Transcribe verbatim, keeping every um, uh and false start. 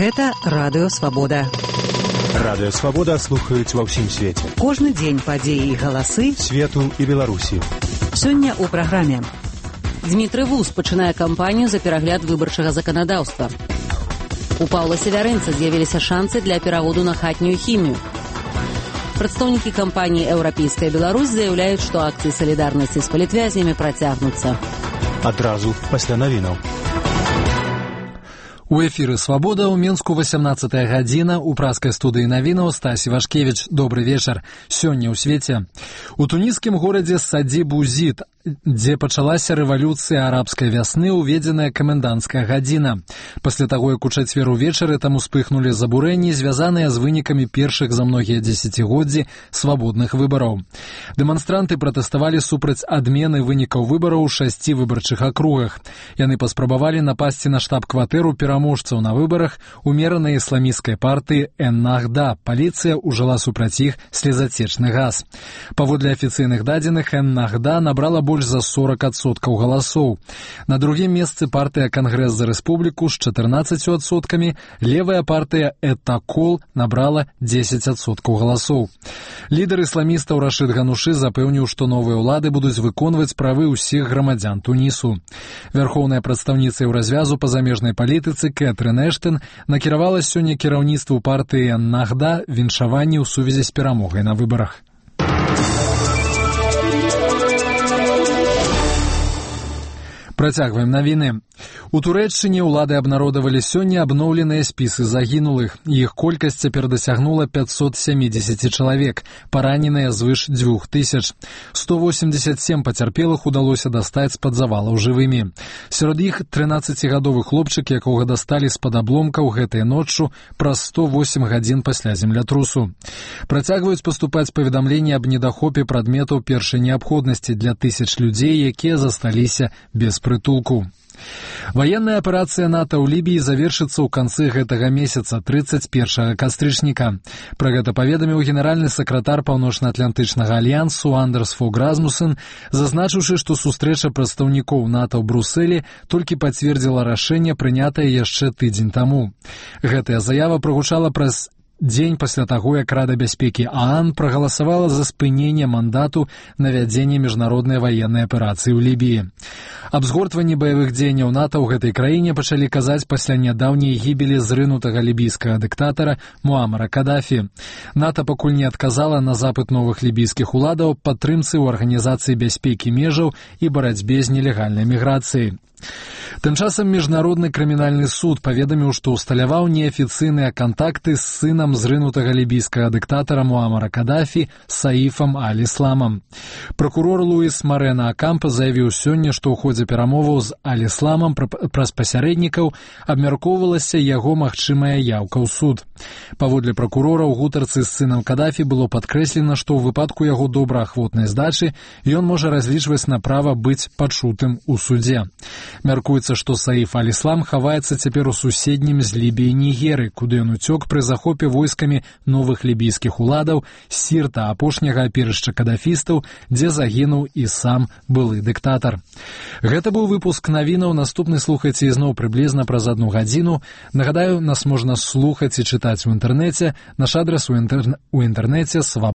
Гэта Радыё Свабода. Радыё Свабода слухаюць ва ўсім свеце. Кожны дзень падзеі і галасы свету і Беларусі. Сёння ў праграме. Дмітрый Вуз пачынае кампанію за перагляд выбарчага заканадаўства. У Паўла Севярынца з'явіліся шансы для пераводу на хатнюю хімію. Прадстаўнікі кампаніі «Еўрапейская Беларусь» заяўляюць, што акцыі салідарнасці з палітвязнямі працягнуцца. Адразу пасля навінаў. У эфіры «Свабода» ў Менску васямнаццатая гадзіна, у праскай студыі навінаў Стасі Вашкевіч. Добры вечар. Сёння ў свеце. У туніскім горадзе Саді-Бузид, дзе пачалася рэвалюцыя арабскай вясны, уведзеная каменданцкая гадзіна. Пасля таго, як у чацвер увечары там успыхнулі забурэнні, звязаныя з вынікамі першых за многія дзесяцігоддзі свабодных выбараў. Дэманстранты пратэставалі супраць адмены вынікаў выбараў у шасці выбарчых акругах. Яны паспрабавалі напасці на штаб-кватэру пераможцаў на выбарах умеранай ісламісцкай партыі «Эн-Нахда». Паліцыя ўжыла супраць іх слезацечны газ. Паводле афіцыйных дадзеных, «Эн-Нахда» набрала больш за сорок адсоткаў галасоў. На другім месцы партыя «Кангрэс за рэспубліку» з чатырнаццаццю адсоткамі, левая партыя «Этакол» набрала дзесяць адсоткаў галасоў. Лідар ісламістаў Рашид Ганушы запэўніў, што новыя ўлады будуць выконваць правы ўсіх грамадзян Тунісу. Вярхоўная прадстаўніца еўразвязу па замежнай палітыцы Кэтрын Эштэн накіравала сёння кіраўніцтву партыі «Эн-Нахда» віншаванні ў сувязі з перамогай на выбарах. Працягваем навіны. У Турэччыне ўлады абнародавалі сёння абноўленыя спісы загінулых. Іх колькасць цяпер дасягнула пятьсот семьдесят чалавек, параненыя звыш дзвюх тысяч. сто восемьдесят семь пацярпелых удалося дастаць з-пад завалаў жывымі. Сярод іх трынаццацігадовы хлопчык, якога дасталі з-пад абломкаў гэтай ноччу праз сто восемь гадзін пасля землятрусу. Працягваюць паступаць паведамленні аб недахопе прадметаў першай неабходнасці для тысяч людзей, якія засталіся без прытулку. Ваенная аперацыя НАТО ў Лібіі завершыцца ў канцы гэтага месяца, трыццаць першага кастрычніка. Пра гэта паведаміў генеральны сакратар Паўночна-Атлантычнага альянсу Андерс Фог Расмуссен, зазначыўшы, што сустрэча прадстаўнікоў НАТО ў Брусэлі толькі пацвердзіла рашэнне, прынятае яшчэ тыдзень таму. Гэтая заява прагучала праз дзень пасля таго, як Рада бяспекі ААН прагаласавала за спыненне мандату на вядзенне міжнароднай ваеннай аперацыі ў Лібіі. Аб згортванні баявых дзеянняў НАТО ў гэтай краіне пачалі казаць пасля нядаўняй гібелі зрынутага лібійскага дыктатара Муамара Кадафі. НАТО пакуль не адказала на запыт новых лібійскіх уладаў падтрымцы ў арганізацыі бяспекі межаў і барацьбе з нелегальнай міграцыяй. Тым часам Міжнародны крымінальны суд паведаміў, што ўсталяваў неафіцыйныя кантакты з сынам зрынутага лібійскага дыктатара Муамара Кадафі Саіфам Аль-Ісламам. Пракурор Луіс Марена Акампа заявіў сёння, што ў ходзе перамоваў з Аль-Ісламам праз пасярэднікаў абмяркоўвалася яго магчымая яўка ў суд. Паводле пракурора, у гутарцы з сынам Кадафі было падкрэслена, што ў выпадку яго добраахвотнай здачы ён можа разлічваць на права быць пачутым у судзе. Мяркуецца, што Саіф Аль-Іслам хаваецца цяпер у суседнім з Лібіяй Нігеры, куды ён уцёк пры захопе войскамі новых лібійскіх уладаў з Сірта, апошняга апірышча кадафістаў, дзе загінуў і сам былы дыктатар. Гэта быў выпуск навінаў. Наступны слухайце ізноў прыблізна праз адну гадзіну. Нагадаю, нас можна слухаць і чытаць у інтэрнэце. Наш адрас у інтэрнэце свабода.